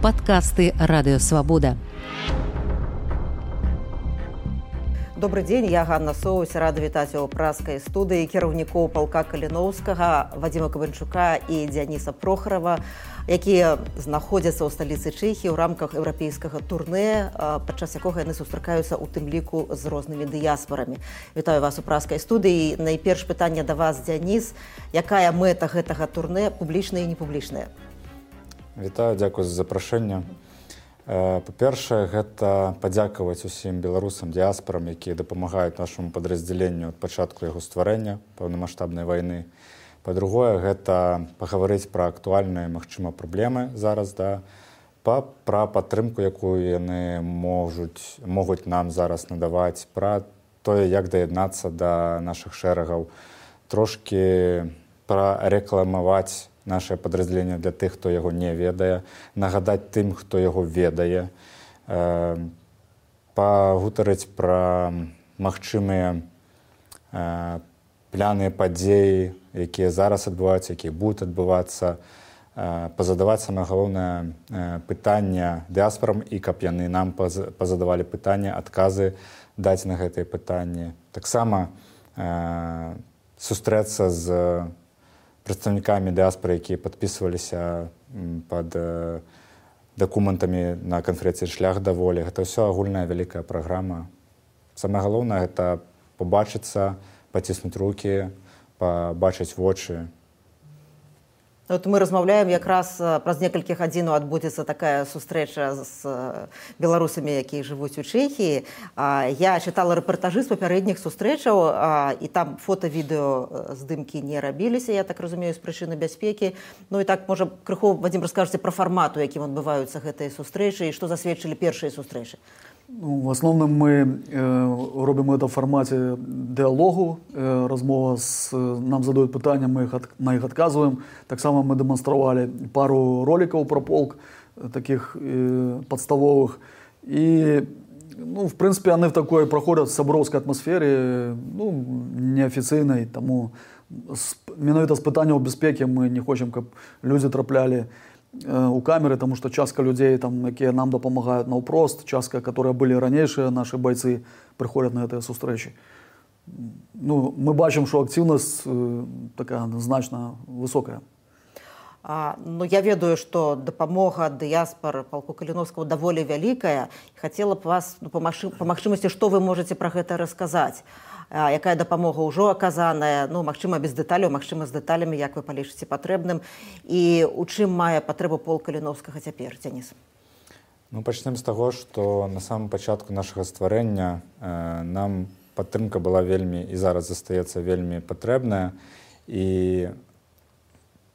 Падкасты Радыё Свабода. Добрый дзень, я Ганна Соўсь, рада вітаць у праскай студыі кіраўнікоў палка Каліноўскага, Вадзіма Кабанчука і Дзяніса Прохарова, якія знаходзяцца ў сталіцы Чэхіі ў рамках еўрапейскага турнэ, падчас якога яны сустракаюцца ў тым ліку з рознымі дыяспарамі. Вітаю вас у праскай студыі. Найперш пытанне да вас, Дзяніс. Якая мэта гэтага турнэ, публічная і непублічная? Вітаю, дзякую за запрашэнне. Па-першае, гэта падзякаваць усім беларусам, дыяспарам, якія дапамагаюць нашаму падраздзяленню ад пачатку яго стварэння паўнамаштабнай вайны. Па-другое, гэта пагаварыць пра актуальныя, магчыма, праблемы зараз, пра падтрымку, якую яны могуць нам зараз надаваць, пра тое, як даяднацца да нашых шэрагаў, трошкі прарэкламаваць наше падраздзяленне для тых, хто яго не ведае, нагадаць тым, хто яго ведае, пагутарыць пра магчымыя пляныя падзеі, якія зараз адбываюцца, якія будуць адбывацца, пазадаваць самае галоўнае пытанне дыяспарам і каб яны нам пазадавалі пытанне, адказы даць на гэтыя пытанні. Таксама сустрэцца з прадстаўнікамі дыяспары, якія падпісваліся пад дакументамі на канферэнцыі «Шлях да волі». Гэта ўсё агульная вялікая праграма. Самае галоўнае – гэта пабачыцца, паціснуць рукі, пабачыць вочы. Вот мы размаўляем якраз праз некалькі гадзінаў адбудзецца такая сустрэча з беларусамі, якія жывуць у Чэхіі. Я чытала рэпартажы з папярэдніх сустрэчаў, і там фота-відэо здымкі не рабіліся, я так разумею, з прычыны бяспекі. Ну і так, можа, крыху, Вадзім, раскажаце пра фармат, у якім адбываюцца гэтыя сустрэчы і што засведчылі першыя сустрэчы. Ну, в основном мы робим это в формате диалогу, размова нам задают питания, мы на их отказываем. Так само мы демонстрировали пару роликов про полк, таких подставовых. И, ну, в принципе, они в такой проходят соборовской атмосфере, ну, неофициальной, тому менавіта з питання безпеки мы не хочем, чтобы люди трапляли у камеры, потому что частка людей, там, якія нам дапамагаюць наўпрост, частка, которые былі ранейшыя наши бойцы, приходят на гэтыя сустрэчы. Ну, мы бачым, что активность такая значна высокая. Ну, я ведаю, что дапамога дыяспар палку Каліноўскага даволі вялікая. Хацела б вас, па магчымасці, што вы можаце пра гэта расказаць? Якая дапамога ўжо аказаная, ну, магчыма, без дэталяў, магчыма, з дэталямі, як вы палічыце патрэбным, і у чым мае патрэбу полк Каліноўскага цяпер, Дзяніс? Ну, пачнем з таго, што на самым пачатку нашага стварэння нам падтрымка была вельмі, і зараз застаецца вельмі патрэбная, і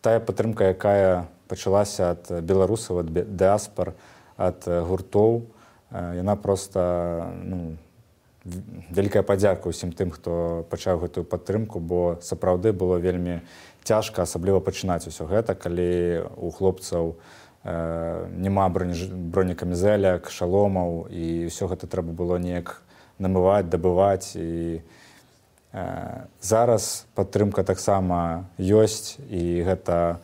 тая падтрымка, якая пачалася ад беларусаў, ад дыяспар, ад гуртоў, яна проста, ну, вялікая падзяка ўсім тым, хто пачаў гэтую падтрымку, бо сапраўды было вельмі цяжка, асабліва пачынаць усё гэта, калі у хлопцаў няма бронекамізэляк, шаломаў, і ўсё гэта трэба было неяк намываць, дабываць. І зараз падтрымка таксама ёсць, і гэта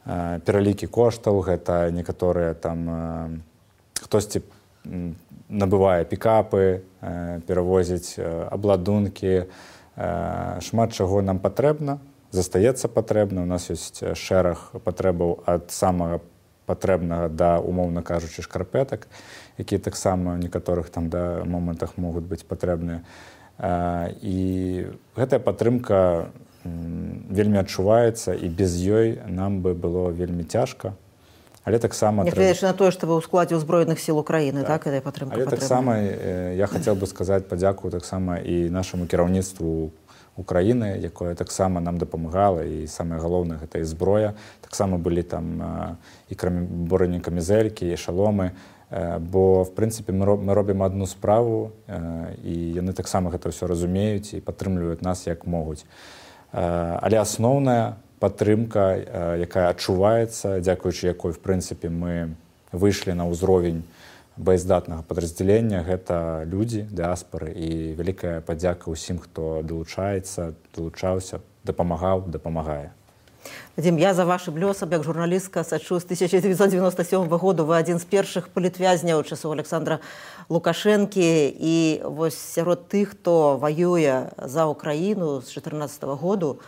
пералікі коштаў, гэта некаторыя там хтосьці набывае пікапы, перавозіць абладункі, шмат чаго нам патрэбна, застаецца патрэбна. У нас ёсць шэраг патрэбаў ад самага патрэбнага да, умоўна кажучы, шкарпетак, якія таксама ў некаторых там момантах могуць быць патрэбныя. І гэтая падтрымка вельмі адчуваецца, і без ёй нам бы было вельмі цяжка. Але таксама нягледзячы на тое, што вы ў складзе ўзброеных сіл Украіны, так, гэтая падтрымка патрэбна. Але таксама я хацеў бы сказаць падзяку таксама і нашаму кіраўніцтву Украіны, якое таксама нам дапамагала, і самае галоўнае гэта і зброя. Таксама былі там і бронекамізэлькі, і шаломы, бо в прынцыпе мы робім адну справу, і яны таксама гэта ўсё разумеюць і падтрымліваюць нас як могуць. Але асноўная падтрымка, якая адчуваецца, дзякуючы якой, в прынцыпе, мы выйшлі на ўзровень баяздатнага падраздзялення, гэта людзі, дыяспары, і вялікая падзяка ўсім, хто далучаецца, далучаўся, дапамагаў, дапамагае. Вадим, я за вашым лёсам, як журналістка, сачу з 1997 году. Вы адзін з першых палітвязняў часоў Александра Лукашэнкі. І вось сярод тых, хто ваюе за Украіну з 2014 году,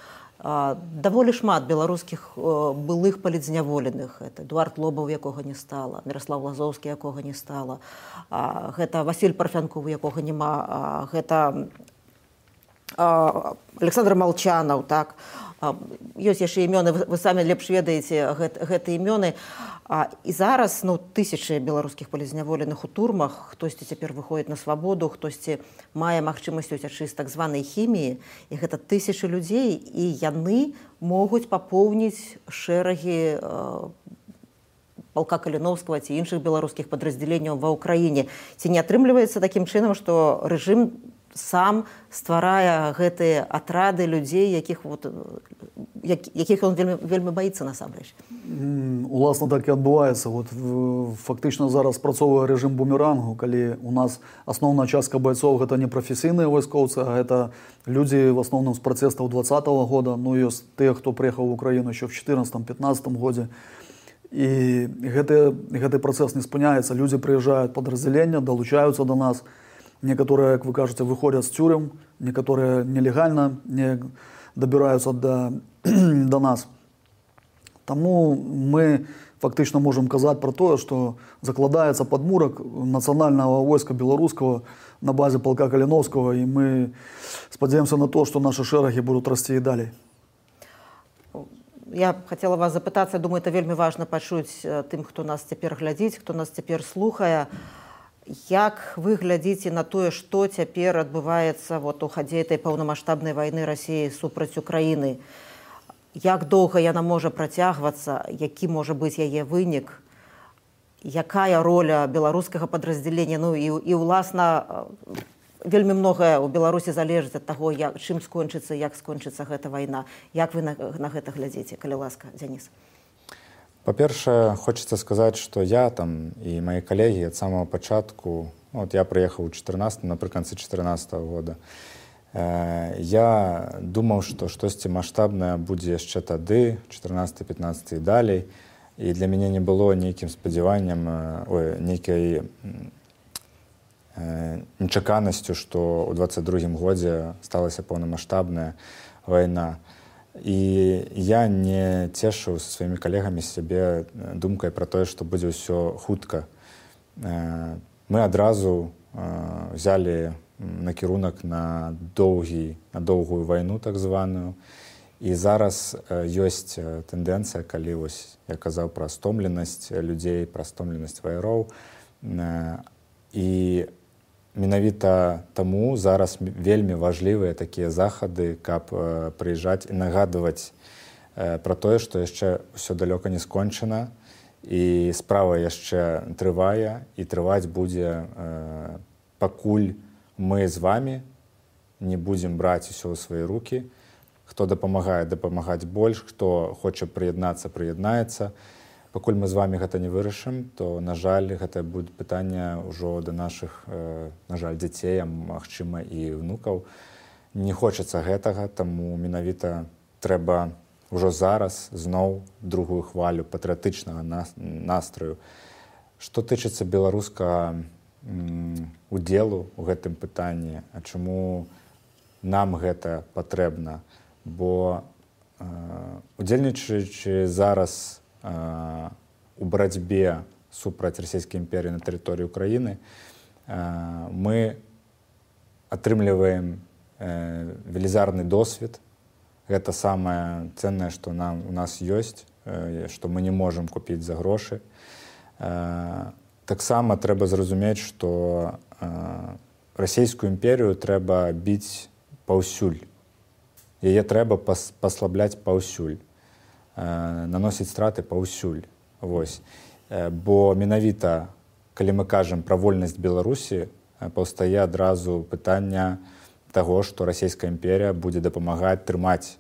даволі шмат беларускіх былых палітзняволеных. Это Эдуард Лобаў, якога не стала, Міраслав Лазоўскі, якога не стала, гэта Васіль Парфянков, якога няма, гэта Александр Малчанаў, так. Ёсць яшчэ імёны, вы самі лепш ведаеце гэтыя імёны. І зараз тысячы беларускіх палітзняволеных у турмах, хтосьці цяпер выходзіць на свабоду, хтосьці мае магчымасць уцячы з так званай хіміі, і гэта тысячы людзей, і яны могуць папоўніць шэрагі палка Каліноўскага ці іншых беларускіх падраздзяленняў ва ўкраіне. Ці не атрымліваецца такім чынам, што рэжым сам стварае гэтыя атрады людзей, якіх ён вельмі баіцца насамрэч? Уласна так і адбываецца. Фактычна зараз працоўвае рэжым бумерангу, калі у нас асноўная частка байцоў гэта не прафесійныя вайскоўцы, а гэта людзі в асноўным з пратэстаў 2020 года. Ёсць тыя, хто прыехаў в Украіну еще в 2014-2015 годзе. І гэты працэс не спыняецца. Людзі прыязджаюць падраздзялення, далучаюцца до нас. Некаторыя, як вы кажаце, выходзяць з цюрем, некаторыя нелегальна не дабіраюцца до нас. Таму мы фактычна можам казаць пра тое, што закладаецца падмурак нацыянальнага войска беларускага на базе палка Каліноўскага, і мы спадзяёмся на то, што нашы шэрагі будуць расці і далей. Я хацела вас запытацца, думаю, это вельмі важна пачуць тым, хто нас цяпер глядзіць, хто нас цяпер слухае. Як вы глядзіце на тое, што цяпер адбываецца у хадзе этой паўнамаштабнай вайны Расіі супраць Украіны? Як доўга яна можа працягвацца? Які можа быць яе вынік? Якая роля беларускага падраздзялення? І уласна, вельмі многае ў Беларусі залежыць ад таго, чым скончыцца, як скончыцца гэта вайна. Як вы на гэта глядзіце, калі ласка, Дзяніс? Па-першае, хочацца сказаць, што я там і мае калегі ад самого пачатку, я прыехаў напрыканцы 2014 года, я думаў, што штосьці маштабнае будзе яшчэ тады, 14-15 і далей, і для мяне не было нейкім спадзяваннем, нейкай нечаканасцю, што ў 22-м годзе сталася паўнамаштабная вайна. І я не цешыў са сваімі калегамі сябе думкай пра тое, што будзе ўсё хутка. Мы адразу взялі накірунак на доўгую вайну, так званую. І зараз ёсць тэндэнцыя, калі я казаў пра стомленасць людзей, пра стомленасць ваяроў. І менавіта таму зараз вельмі важлівыя такія захады, каб прыязджаць і нагадваць пра тое, што яшчэ ўсё далёка не скончана, і справа яшчэ трывае, і трываць будзе, пакуль мы з вамі не будзем браць усё ў свае рукі. Хто дапамагае, дапамагаць больш, хто хоча прыяднацца, прыяднаецца. Пакуль мы з вамі гэта не вырашым, то, на жаль, гэта будзе пытанне ўжо да нашых, на жаль, дзяцей, а магчыма і внукаў. Не хочацца гэтага, таму менавіта трэба ўжо зараз зноў другую хвалю патрыятычнага настрою. Што тычыцца беларускага удзелу ў гэтым пытанні, а чаму нам гэта патрэбна? Бо удзельнічаючы зараз у барацьбе супраць расійскай імперыі на тэрыторыі Украіны, мы атрымліваем велізарны досвед. Гэта самае ценнае, што у нас ёсць, што мы не можам купіць за грошы. Таксама трэба зразумець, што расійскую імперію трэба біць паўсюль. Яе трэба паслабляць паўсюль. Наносіць страты паўсюль. Бо менавіта, калі мы кажам пра вольнасць Беларусі, паўстае адразу пытання таго, што расійская імперія будзе дапамагаць трымаць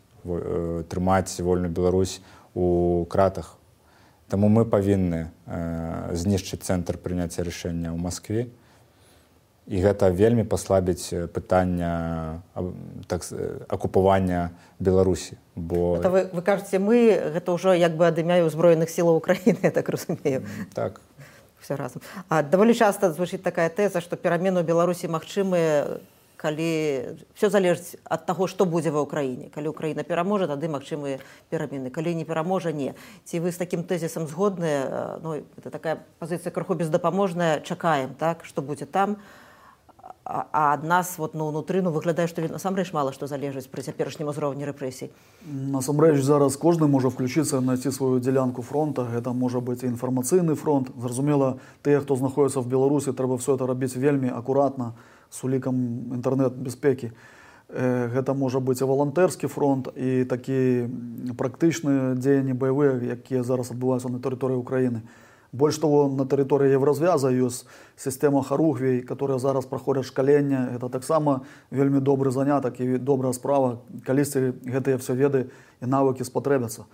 вольную Беларусь у кратах. Таму мы павінны знішчыць цэнтр прыняцця рашэння ў Маскве і гэта вельмі паслабіць пытання акупавання Беларусі. Бо... Вы кажаце, мы гэта ўжо як бы ад імя ўзброеных сілаў Украіны, я так разумею. Так. Все разам. Даволі часта звучыць такая тэза, што перамены ў Беларусі магчымыя, калі все залежыць ад таго, што будзе ва ўкраіне. Калі Украіна пераможа, тады магчымыя перамены. Калі не пераможа, не. Ці вы з такім тэзісам згодныя? Ну, это такая пазіцыя крыху бездапаможная. Чакаем, так, што будзе там. А ад нас вот, унутры выглядае, што насамрэч мала што залежыць пры цяперашнім узроўні рэпрэсій. Насамрэч зараз кожны можа включыцца, знайсці сваю дзялянку фронта. Гэта можа быць і інфармацыйны фронт. Зразумела, тыя, хто знаходзіцца в Беларусі, трэба все это рабіць вельмі акуратна, з улікам інтэрнэт-бяспекі. Гэта можа быць і валантэрскі фронт, і такі практычныя дзеянні баявыя, якія зараз адбываюцца на тэрыторыі Украіны. Больш того, на тэрыторыі Еўразвяза ёсць сістэма Харугвей, которая зараз праходзяць шкаленне. Гэта таксама вельмі добры занятак і добрая справа, калісьці гэтыя все веды і навыкі спатрэбяцца.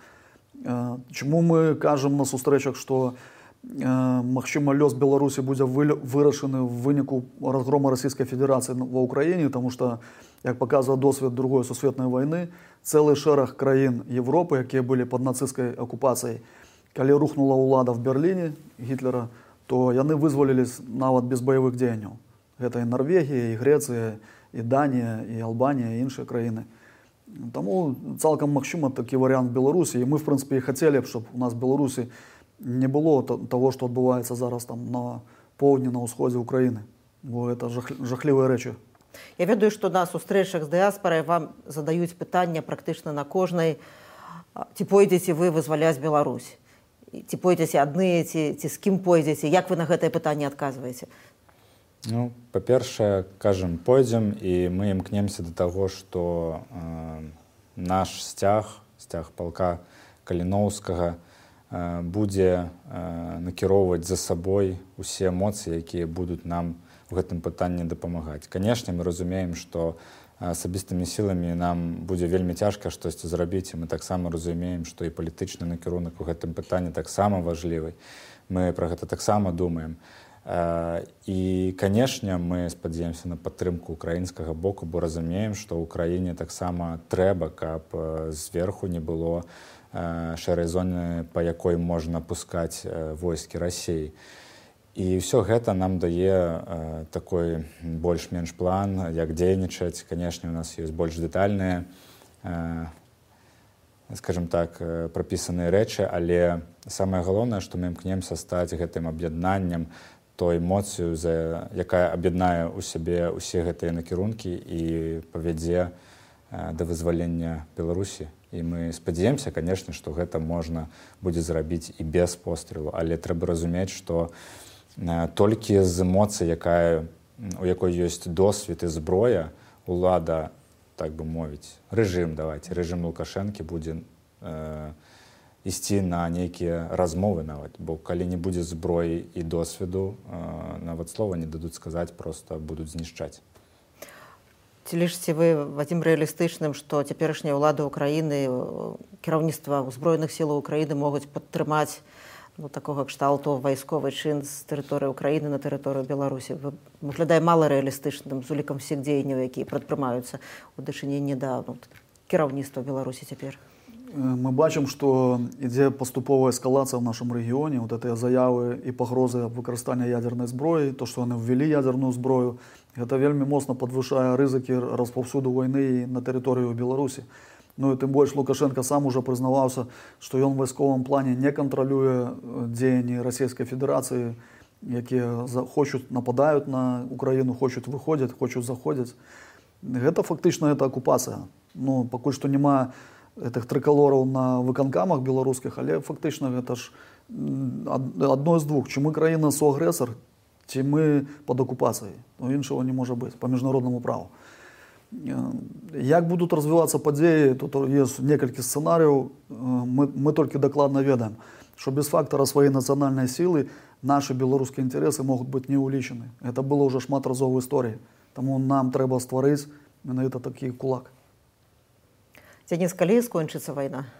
Чаму мы кажам на сустрэчах, што магчыма лёс Беларусі будзе вырашаны ў выніку разгрома Расійскай Федэрацыі ва ўкраіне, таму што, як паказвае досвед Другой сусветнай вайны, цэлы шэраг краін Европы, якія былі пад нацысцкай акупацыяй, калі рухнула ўлада в Берліне Гітлера, то яны вызвалілись нават без баявых дзеянняў. Гэта і Норвегія, і Грэцыя, і Данія, і Албанія, і іншыя краіны. Таму цалкам магчыма такі варыянт Беларусі. І мы, в прынцыпе, і хацелі б, щоб у нас в Беларусі не было того, што адбываецца зараз там на поўдні, на ўсходзе Украіны. Бо гэта жахлівыя рэчы. Я ведаю, што на сустрэчах з дыаспарай вам задаюць пытання практычна на кожнай, ці пойдзеце вы вызваляць Беларусь. Ці пойдзеце адны, ці з кім пойдзеце? Як вы на гэтае пытанне адказваеце? Ну, па-першае, кажам, пойдзем, і мы імкнемся да таго, што наш сцяг палка Каліноўскага, будзе накіроўваць за сабой усе эмоцыі, якія будуць нам у гэтым пытанні дапамагаць. Канешне, мы разумеем, што асабістымі сіламі нам будзе вельмі цяжка штосьці зрабіць, і мы таксама разумеем, што і палітычны накірунак у гэтым пытанні таксама важлівы. Мы пра гэта таксама думаем. І, канешне, мы спадзяемся на падтрымку украінскага боку, бо разумеем, што ў краіне таксама трэба, каб зверху не было шэрай зоны, па якой можна пускаць войскі Расіі. І ўсё гэта нам дае такой больш-менш план, як дзейнічаць. Канешне, у нас ёсць больш дэтальныя, скажем так, прапісаныя рэчы, але самае галоўнае, што мы імкнемся стаць гэтым аб'яднаннем, той эмоцыю, якая аб'яднае ў сябе ўсе гэтыя накірункі і павядзе да вызвалення Беларусі. І мы спадзяемся, канешне, што гэта можна будзе зрабіць і без пострэлу, але трэба разумець, што толькі з эмоцый, у якой ёсць досвед і зброя, улада, так бы мовіць, рэжым Лукашэнкі будзе ісці на нейкія размовы нават, бо калі не будзе зброі і досведу, нават слова не дадуць сказаць, проста будуць знішчаць. Ці лічыце вы, Вадзім, рэалістычным, што цяперашняя ўлада Украіны, кіраўніцтва ўзброеных сілаў Украіны могуць падтрымаць такога кшталту вайсковы чын з тэрыторыі Украіны на тэрыторыю Беларусі? Выглядае мала рэалістычным з улікам усіх дзеянняў, якія прадпрымаюцца ў дачыненні да кіраўніцтва Беларусі цяпер. Мы бачым, што ідзе паступовая эскалацыя ў нашым рэгіёне. Вот гэтыя заявы і пагрозы аб выкарыстанні ядзернай зброі, то, што яны ввялі ядзерную зброю, гэта вельмі моцна падвышае рызыкі распаўсюду вайны на тэрыторыю Беларусі. Ну і тым больш Лукашенко сам уже прызнаваўся, што ён у вайсковым плане не кантралюе дзеянні Расійскай Федэрацыі, якія хочуць нападаюць на Украіну, хочуць выходзяць, хочуць заходзяць. Гэта фактычна гэта акупацыя. Ну, пакуль што няма гэтых трыкалораў на выканкамах беларускіх, але фактычна гэта ж адно з двух. Ці мы краіна суагрэсар, ці мы пад акупацыяй. Ну, іншага не можа быць па міжнароднаму праву. Як будуць развівацца падзеі, тут ёсць некалькі сцэнарыяў. Мы толькі дакладна ведаем, што без фактара сваёй нацыянальнай сілы нашы беларускія інтарэсы могуць быць не ўлічаны. Гэта было ўжо шмат разоў у історыі. Таму нам трэба стварыць менавіта такі кулак. Дзяніс, калі скончыцца вайна?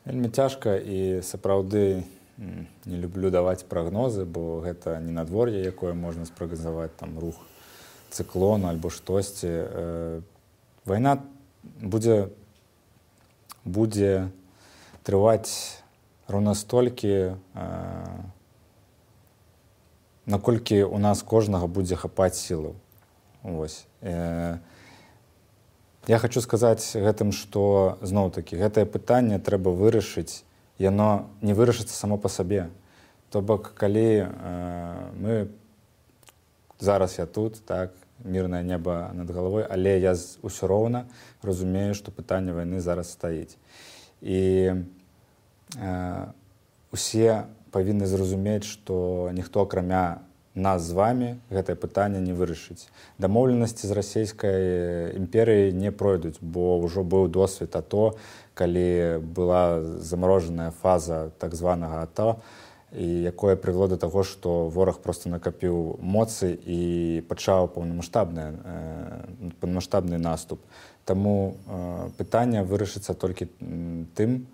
Вельмі цяжка, і сапраўды не люблю даваць прагнозы, бо гэта не надвор'е, якое можна спрагназаваць, там рух цыклону альбо штосьці. Вайна будзе трываць роўна столькі, наколькі у нас кожнага будзе хапаць сілаў. Вось. Я хочу сказаць гэтым, што зноў-такі гэтае пытанне трэба вырашыць, яно не вырашыцца само па сабе. То бок, калі мы зараз я тут, так, мірнае неба над галавой, але я ўсё роўна разумею, што пытанне вайны зараз стаіць. І усе павінны зразумець, што ніхто акрамя нас з вамі гэтае пытанне не вырашыць. Дамоўленасці з расійскай імперыяй не пройдуць, бо ўжо быў досвед АТО, калі была замарожаная фаза так званага АТО, і якое прывяло да таго, што вораг проста накапіў моцы і пачаў паўнамаштабны наступ. Таму пытанне вырашыцца толькі тым,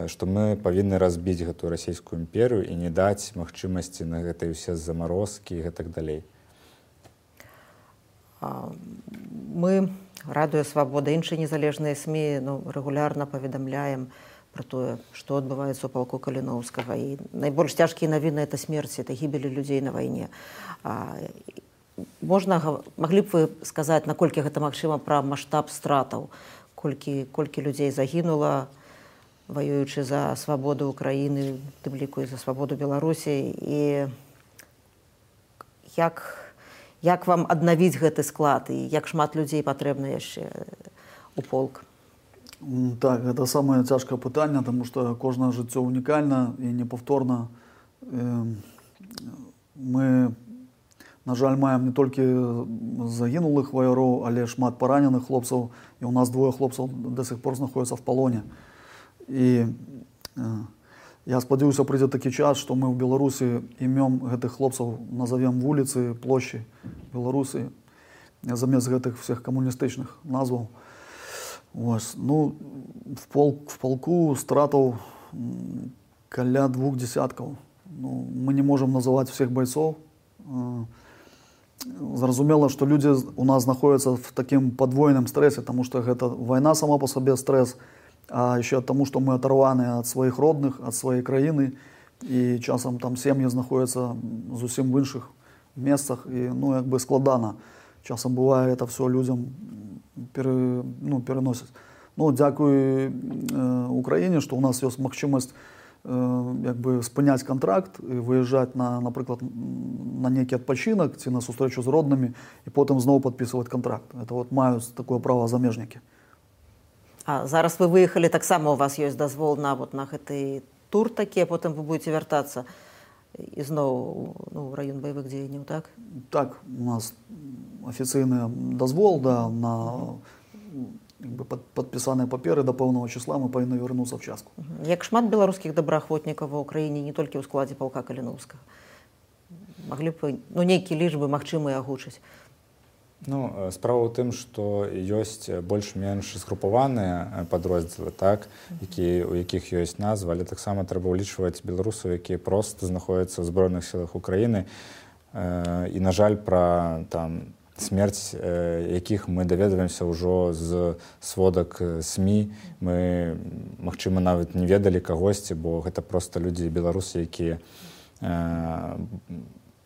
што мы павінны разбіць гэтую расійскую імперыю і не даць магчымасці на гэтыя ўсе замарозкі і гэтак далей. Мы, Радыё Свабода, іншыя незалежныя СМІ рэгулярна паведамляем пра тое, што адбываецца ў палку Каліноўскага. І найбольш цяжкія навіны — это смерць, это гібелі людзей на вайне. Маглі б вы сказаць, наколькі гэта магчыма, пра маштаб стратаў, колькі людзей загінула, воюючы за свабоду Украіны, тым ліку і за свабоду Беларусі, і як вам аднавіць гэты склад, і як шмат людзей патрэбна яшчэ у полк? Так, гэта самае цяжкае пытанне, таму што кожнае жыццё унікальна і непаўторна. Мы, на жаль, маем не толькі загінулых ваяроў, але шмат параненых хлопцаў, і у нас двое хлопцаў да сих пор знаходзяцца в палоне. І я спадзяюся, прыйдзе такі час, што мы ў Беларусі імём гэтых хлопцаў назовем вуліцы, плошчы Беларусі замест гэтых всех камуністычных назваў. Ось. Ну, в полку стратаў каля 2 десяткаў. Ну, мы не можам называць всех байцоў. Зразумела, што людзі у нас знаходзяцца в такім падвойным стрэсе, таму што гэта вайна сама па сабе стресс, а еще тому, что мы оторваны от своих родных, от своей краины, и часом там сем'і знаходяцца зусім в іншых месцах, і як бы складана. Часом бывае это все людям переносяць. Дзякуй Украіне, што у нас ёсць магчымасць як бы спыняць контракт і выязджаць напрыклад, на нейкі адпачынак ці на сустрэчу з роднымі і потым зноў падпісваць контракт. Это маюць такое права замежнікі. А зараз вы выехалі, таксама у вас ёсць дазвол на гэты тур такі, а потым вы будете вяртацца ізноў ў раён баявых дзеянняў, так? Так, у нас афіцыйны дазвол, на падпісаныя паперы да пэўнага числа мы павінны вярнуцца ў частку. Як шмат беларускіх добраахвотнікаў ва ўкраіне, не толькі ў складзе палка Каліноўскага? Маглі б нейкія лічбы магчымыя агучыць? Справа ў тым, што ёсць больш-менш згрупаваныя падроздзелы, так, у якіх ёсць назва, але таксама трэба ўлічваць беларусаў, якія проста знаходзяцца ў збройных сілах Украіны. І, на жаль, пра смерць якіх мы даведваемся ўжо з сводак СМІ. Мы, магчыма, нават не ведалі кагосьці, бо гэта проста людзі беларусы, якія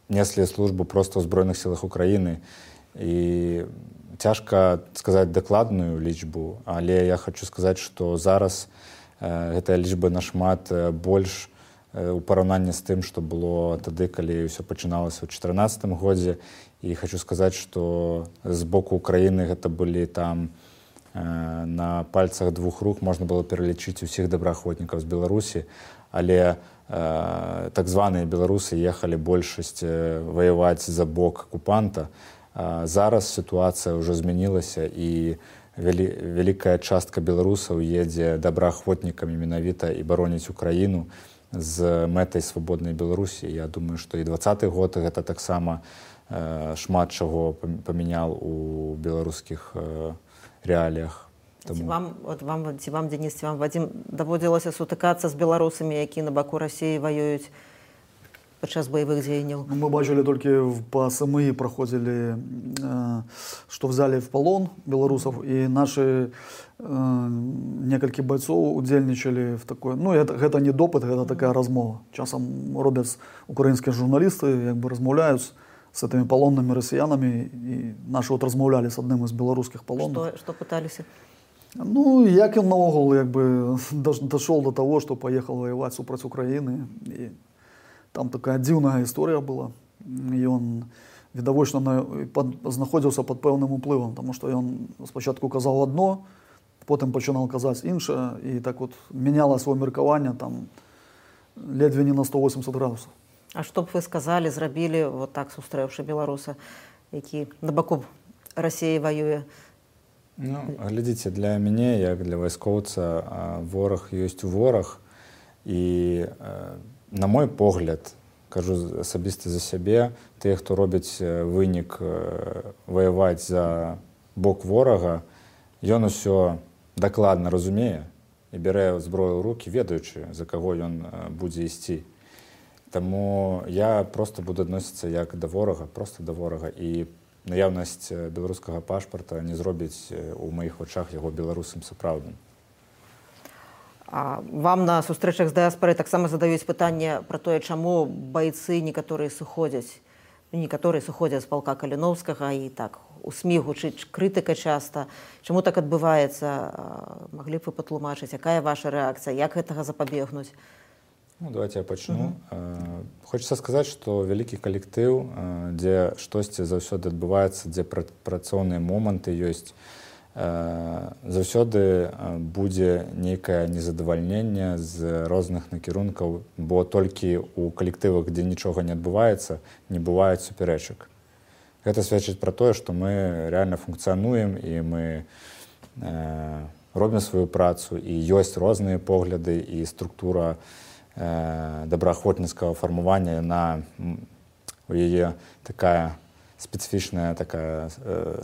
неслі службу проста ў збройных сілах Украіны. І цяжка сказаць дакладную лічбу, але я хочу сказаць, што зараз гэтая лічба нашмат больш у параўнанні з тым, што было тады, калі ўсё пачыналася ў 2014 годзе. І хочу сказаць, што з боку Украіны гэта былі там на пальцах 2 рук можна было пералічыць усіх добраахвотнікаў з Беларусі, але так званыя беларусы ехалі большасць ваяваць за бок акупанта. Зараз сітуацыя ўжо змянілася, і вялікая частка беларусаў едзе добраахвотнікамі менавіта і бароніць Украіну з мэтай свабоднай Беларусі. Я думаю, што і 2020 год гэта таксама шмат чаго памяняў у беларускіх рэаліях. Ці вам, Денис, ці вам, Вадим, даводзілася сутыкацца з беларусамі, які на баку Расіі ваююць падчас баявых дзеянняў? Мы бачили только по СМИ проходили, что взяли в полон белорусов, и наши некалькі бойцов удзельничали в такой, ну это не допыт, это такая размова. Часам робят украинские журналисты, как бы размовляют с этими полонными россиянами, и наши вот размовляли с одним из белорусских полонных. Что пытались? Ну, як он наогул, как бы, дошел до того, что поехал воевать супроть Украины. И там такая дивная история была. И он, відавочна, знаходився під певним впливом, тому що він спочатку казав одно, потім починав казати інше, і так от міняло своє міркування там ледве не на 180 градусів. А што б вы сказали, зрабілі, вот так сустрэўшы беларуса, які на баку Расіі воюе? Ну, глядзіце, для мяне, як для вайскоўца, вораг ёсць вораг, і на мой погляд, кажу асабіста за сябе, тыя, хто робяць вынік ваяваць за бок ворага, ён усё дакладна разумее і бярэ зброю ў рукі, ведаючы, за каго ён будзе ісці. Таму я просто буду адносіцца як да ворага, просто да ворага, і наяўнасць беларускага пашпарта не зробіць у маіх вачах яго беларусам сапраўдным. А вам на сустрэчах з дыяспорай таксама задаюць пытанне пра тое, чаму байцы некаторыя сыходзяць з палка Каліноўскага, і так у СМІ гучыць крытыка часта. Чаму так адбываецца? Маглі б вы патлумачыць, якая ваша рэакцыя, як гэтага запабегнуць? Ну, давайте я пачну. Хочется сказаць, што вялікі калектыў, дзе штосьці заўсёды адбываецца, дзе працоўныя моманты ёсць, заўсёды будзе нейкае незадавальненне з розных накірункаў, бо толькі ў калектывах, дзе нічога не адбываецца, не бываюць супярэчак. Гэта сведчыць пра тое, што мы рэальна функцыянуем, і мы робім сваю працу, і ёсць розныя погляды, і структура добраахвотніцкага фармавання, у яе такая спецыфічная такая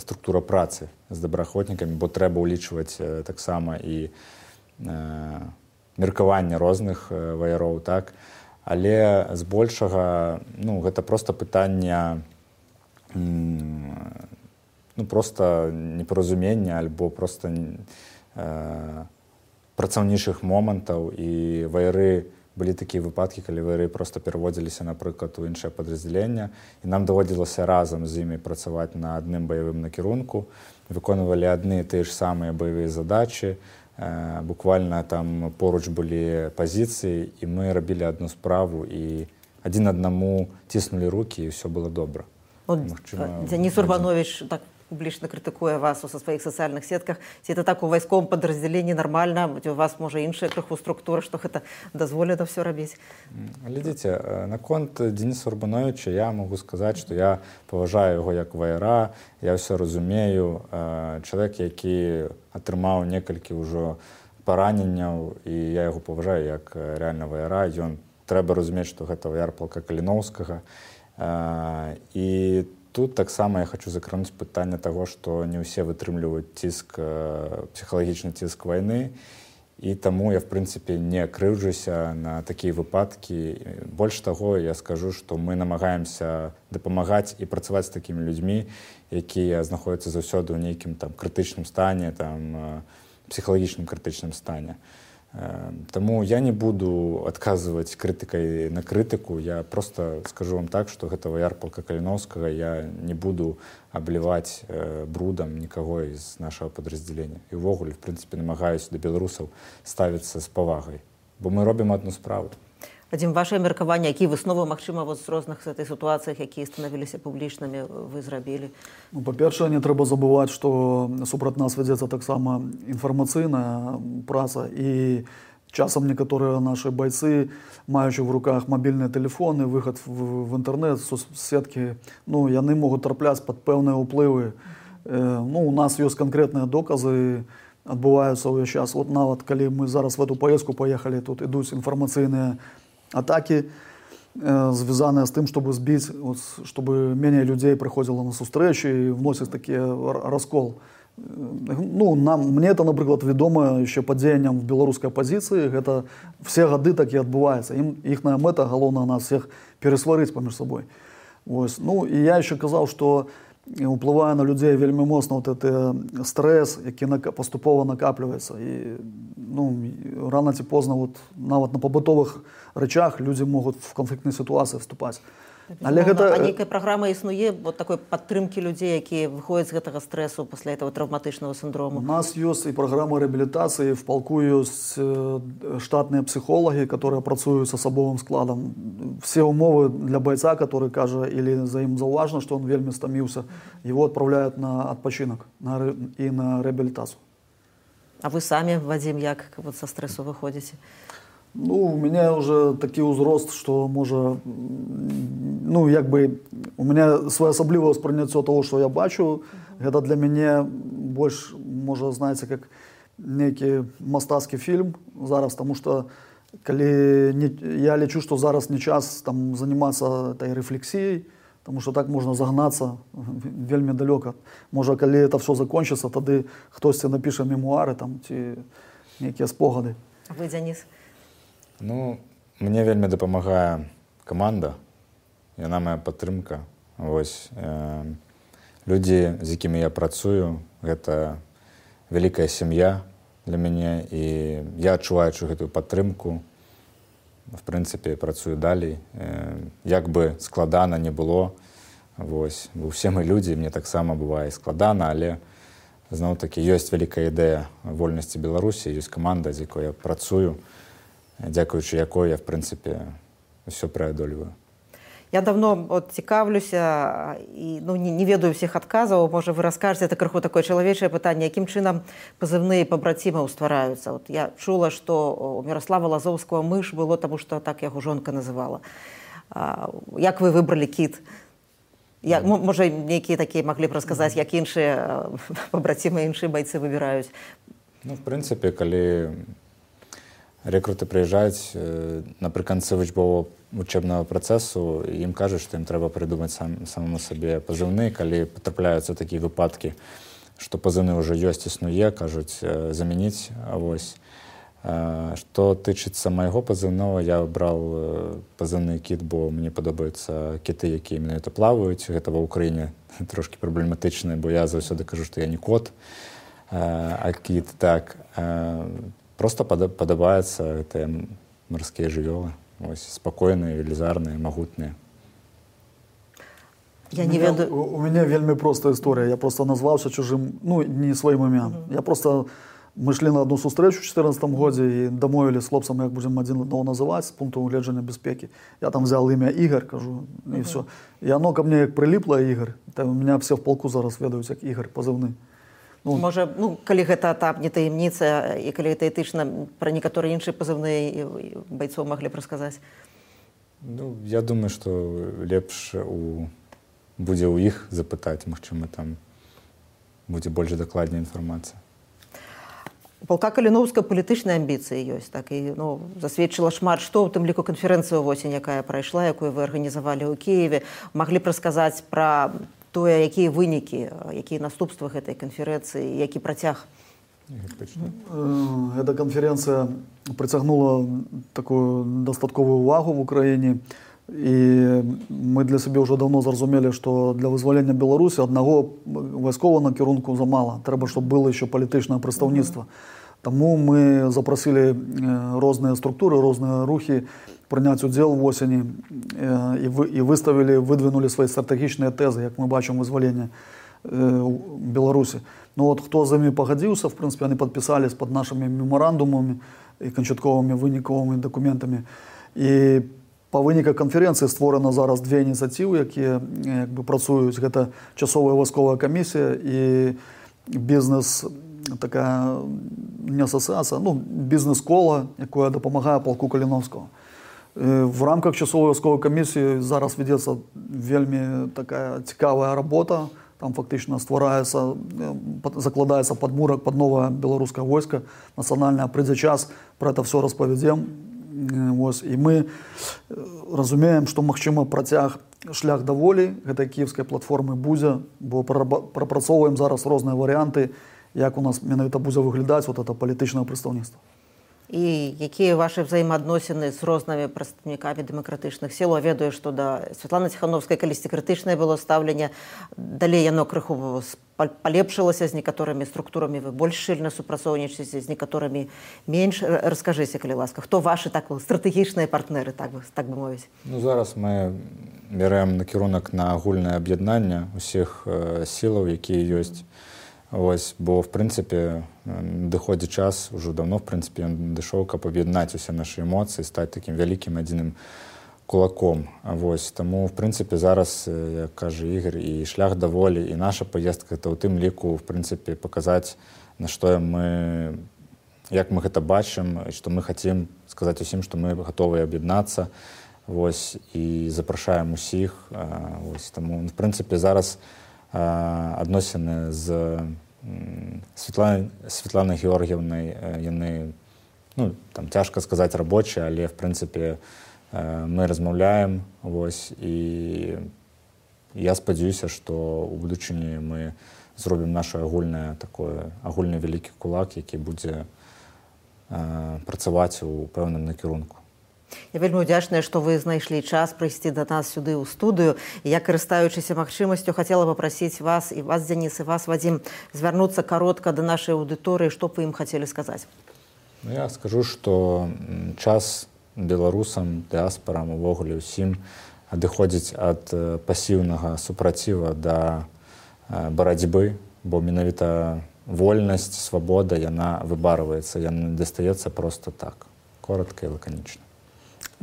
структура працы з добраахвотнікамі, бо трэба ўлічваць таксама і меркаванне розных ваяроў, так? Але збольшага, ну, гэта проста пытанне проста непаразумення альбо проста працаўнічых момантаў, і ваяры былі такія выпадкі, калі ваяры проста пераводзіліся, напрыклад, у іншае падраздзяленне, і нам даводзілася разам з імі працаваць на адным баявым накірунку, выконвалі адны і тыя ж самыя баявыя задачы, буквально там поруч былі пазіцыі, і мы рабілі адну справу, і адзін аднаму ціснулі рукі, і ўсё было добра. Денис Урбанович так публічна крытыкуе вас у сваіх сацыяльных сетках. Ці это так у вайсковым падраздзяленні нармальна? У вас, можа, іншая крыху структура, што гэта дазволена ўсё рабіць? Глядзіце, наконт Дениса Урбановича я могу сказаць, што я паважаю яго як ваяра, я ўсё разумею. Чалавек, які атрымаў некалькі ўжо параненняў, і я яго паважаю як рэальна ваяра, трэба разумець, што гэта ваяр палка Каліноўскага. І тут таксама я хочу закрануць пытанне таго, што не ўсе вытрымліваюць ціск, псіхалагічны ціск вайны, і таму я, в прынцыпе, не крыўджуся на такія выпадкі. Больш таго, я скажу, што мы намагаемся дапамагаць і працаваць з такімі людзьмі, якія знаходзяцца заўсёды ў нейкім там крытычным стане, там псіхалагічным крытычным стане. Таму я не буду адказваць крытыкай на крытыку, я просто скажу вам так, што гэта ваяр палка Каліноўскага, я не буду абліваць брудам нікаго з нашага падраздзялення. І ўвогуле, в прынцыпе, намагаюся да беларусаў ставіцца з павагай, бо мы робім адну справу. Вадим, ваше меркаванне, якія высновы, магчыма, з розных гэтай сітуацыях, якія станавіліся публічнымі, вы зрабілі? Ну, па-першае, не трэба забываць, што супраць нас вядзецца таксама інфармацыйная праца, і часам некаторыя нашы байцы, маючы в руках мабільныя тэлефоны, выхад в інтэрнэт, соцсеткі, ну, яны могуць трапляць пад пэўныя ўплывы. Ну, у нас ёсць канкрэтныя доказы, адбываюцца ўвесь час. Вот нават, калі мы зараз в эту поездку поехали, тут ідуць інфармацыйныя атаки, звязанные с тем, чтобы сбить, вот, чтобы менее людей приходило на встречи и вносить такие раскол Ну, мне это, наприклад, відомо ще падзенням в беларускай апозіцыі. Гэта все гады так і адбываецца. Іхная мэта галоўная нас всех пересварыць паміж сабой. Вось. Ну, і я еще казаў, што уплывае на людзей вельмі моцна вот гэты стрэс, які паступова накапліваецца. І ну, рано ці позна вот, нават на пабытовых рэчах людзі могуць в канфліктнай сітуацыі вступаць. Але гэта... А нейкая праграма існуе вот такой падтрымкі людзей, якія выходзяць з гэтага стрэсу пасля этого травматычнага сіндрому? У нас ёсць і праграма рэабілітацыі, в палку ёсць штатныя псіхолагі, которые працуюць з асабовым складам. Все умовы для байца, который кажа или за ім заўважна, што он вельмі стаміўся, его отправляют на адпачынак і на рэабілітацыю. А вы самі, Вадзім, як вот са стрэсу выходзіце? Ну, у меня уже такі ўзрост, што можа, ну, як бы, у меня своеасаблівае ўспрыняццё того, што я бачу, гэта для мяне больш, можа, знаеце, как нейкі мастацкі фільм зараз, таму што я лічу, што зараз не час там занимацца этой рэфлексіяй, таму што так можна загнацца вельмі далёка. Можа, калі это все закончыцца, тады хтосьці напіша мемуары там, ці нейкія спогады. А вы, Дзяніс? Ну, мне вельмі дапамагае каманда, яна моя падтрымка. Вось, людзі, з якімі я працую, гэта вялікая сям'я для мяне, і я адчуваючы гэтую падтрымку, в прынцыпе, працую далей. Як бы складана не было, вось, усе мы людзі, мне таксама бывае складана, але зноў-такі ёсць вялікая ідэя вольнасці Беларусі, ёсць каманда, з якой я працую, дзякуючы якой я, в прынцыпе, ўсё преадольваю. Я давно от цікавлюся і ну, не ведаю всіх адказаў, можа вы раскажаце, это крыху такое чалавечае пытанне, якім чынам пазыўныя пабрацімаў ствараюцца. От я чула, што у Міраслава Лазоўскага мыш было, таму што так яго жонка называла. Як вы выбралі кіт? Можа, нейкія такія маглі б расказаць, як іншыя пабрацімы, іншыя байцы выбіраюць? Ну, в прынцыпе, калі рэкруты прыязджаюць напрыканцы вучэбнага працэсу, ім кажуць, што ім трэба прыдумаць самому сабе пазыўны. Калі патрапляюцца такія выпадкі, што пазыўны ўжо ёсць, існуе, кажуць замяніць. Вось. Што тычыцца майго пазыўнога, я браў пазыўны кіт, бо мне падабаюцца кіты, якія менавіта плаваюць. Гэта ва ўкраіне трошкі праблематычна, бо я заўсёды кажу, што я не кот, а кіт. Так. Просто падабаюцца гэтыя марскія жывёлы. Спокойные, велизарные, могутные. Я не ведаю. У меня вельмі простая история. Я просто назвался чужим, ну, не своим именем. Я просто, мы шли на одну сустрэчу в 2014 году и домовились с хлопцами, как будем один одного называть с пункту угледження безпеки. Я там взял имя Игорь, кажу, и все. И оно ко мне как прилипло, Игорь. Там у меня все в полку зараз ведаюць, як Игорь, позывны. Ну, можа, ну, калі гэта этап не таямніца, і калі гэта этычна, пра некаторыя іншыя пазыўныя байцоў маглі б расказаць? Ну, я думаю, што лепш будзе ў іх запытаць, магчыма, там будзе больш дакладная інфармацыя. У палка Каліноўска палітычныя амбіцыі ёсць, так, і ну, засведчыла шмат што, у тым ліку канферэнцыю ўвосень, якая прайшла, якую вы арганізавалі ў Кіеве. Маглі б расказаць пра тое, якія вынікі, якія наступствы гэтай канферэнцыі, які працяг? Эта конференция притягнула такую дастатковую увагу в Украине, и мы для себя уже давно зразумели, что для вызволения Беларуси одного войскового накірунку замало, треба, чтобы было еще политичное представництво. Тому мы запросили разные структуры, разные рухи принять удел в осени и выдвинули свои стратегічные тези, як мы бачимо вызволение Беларуси. Ну вот кто за ними погодился, в принципе, они подписались под нашими меморандумами и кончатковыми выниковыми документами. И по выніках конференции створено зараз две инициативы, які працують. Это часовая войсковая комиссия и бизнес, такая не ассоциация, ну бизнес-кола, яка допомагає полку Каліновського. В рамках часової військової комісії зараз ведеться вельми така цікава робота. Там фактично створяється, закладається подмурок під нове білоруське військо національне. Прийде час, про це все розповідемо. І ми розуміємо, що, можливо, протяг шлях да волі гэтай кіевскай платформы Бузя, бо прапрацоўваем зараз розныя варыянты, як у нас менавіта будзе выглядаць вот это палітычнае прадстаўніцтва. І якія вашы ўзаемаадносіны з рознымі прадстаўнікамі дэмакратычных сіл? Я ведаю, што да Святланы Ціхановскай калісьці крытычнае было стаўленне, далей яно крыху палепшылася, з некаторымі структурамі вы больш шчыльна супрацоўнічаеце, з некаторымі менш. Раскажыце, калі ласка, хто вашы стратэгічныя партнеры, так бы мовіць? Зараз мы бярэм накірунак на агульнае аб'яднанне ўсіх сілаў, якія ёсць. Бо, в прынцыпе, дыходзі час, ужо давно, в прынцыпе, ён дышоў, каб аб'яднаць усе нашы эмоцыі, стаць такім вялікім адзіным кулаком. Таму, в прынцыпе, зараз, як кажа Ігор, і шлях да волі, і наша паездка, гэта ў тым ліку, в прынцыпе, паказаць, на што як мы гэта бачым, і што мы хацім сказаць усім, што мы гатовыя аб'яднацца, і запрашаем усіх. Таму, в прынцыпе, зараз адносіны з Святланай Георгіевнай, яны, цяжка сказаць, рабочыя, але, в прынцыпе, мы размаўляем, і я спадзяюся, што ў будучыні мы зробім наш агульны вялікі кулак, які будзе працаваць у пэўным накірунку. Я вельмі ўдзячная, што вы знайшлі час прыйсці да нас сюды ў студыю. Я, карыстаючыся магчымасцю, хацела папрасіць вас, і вас, Дзяніс, і вас, Вадзім, звярнуцца каротка да нашай аўдыторыі, што б вы ім хацелі сказаць? Я скажу, што час беларусам, дыаспарам, увогуле ўсім адыходзіць ад пасіўнага супраціва да барацьбы, бо менавіта вольнасць, свабода, яна выбарваецца, яна дастаецца проста так, коротка і лаканічна.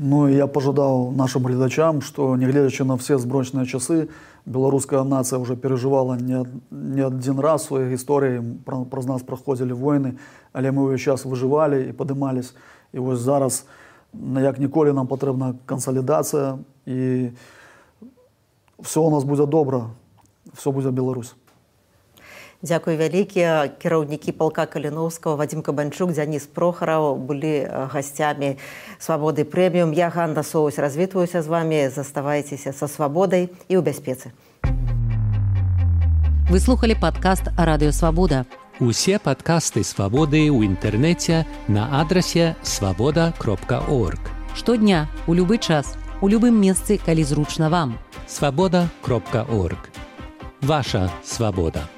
Я пожадаў нашим глядачам, што, нягледзячы на все зброчныя часы, беларуская нацыя ўжо перажывала не адзін раз у сваёй гісторыі, праз нас праходзілі войны, але мы ўвесь час выжывалі і падымались. І вось зараз, як ніколі, нам патрэбна кансалідацыя, і все у нас будзе добра, все будзе Беларусь. Дзякуй вялікія. Кіраўнікі палка Каліноўскага, Вадзім Кабанчук, Дзяніс Прохараў былі гасцямі «Свабоды прэміум». Я, Ганна Соусь, развітваюся з вамі. Заставайцеся са свабодай і ў бяспецы. Вы слухалі падкаст «Радыё Свабода». Усе падкасты «Свабоды» ў інтэрнэце на адрасе свабода.орг. Штодня, у любы час, у любым месцы, калі зручна вам. Свабода.орг. Ваша свабода.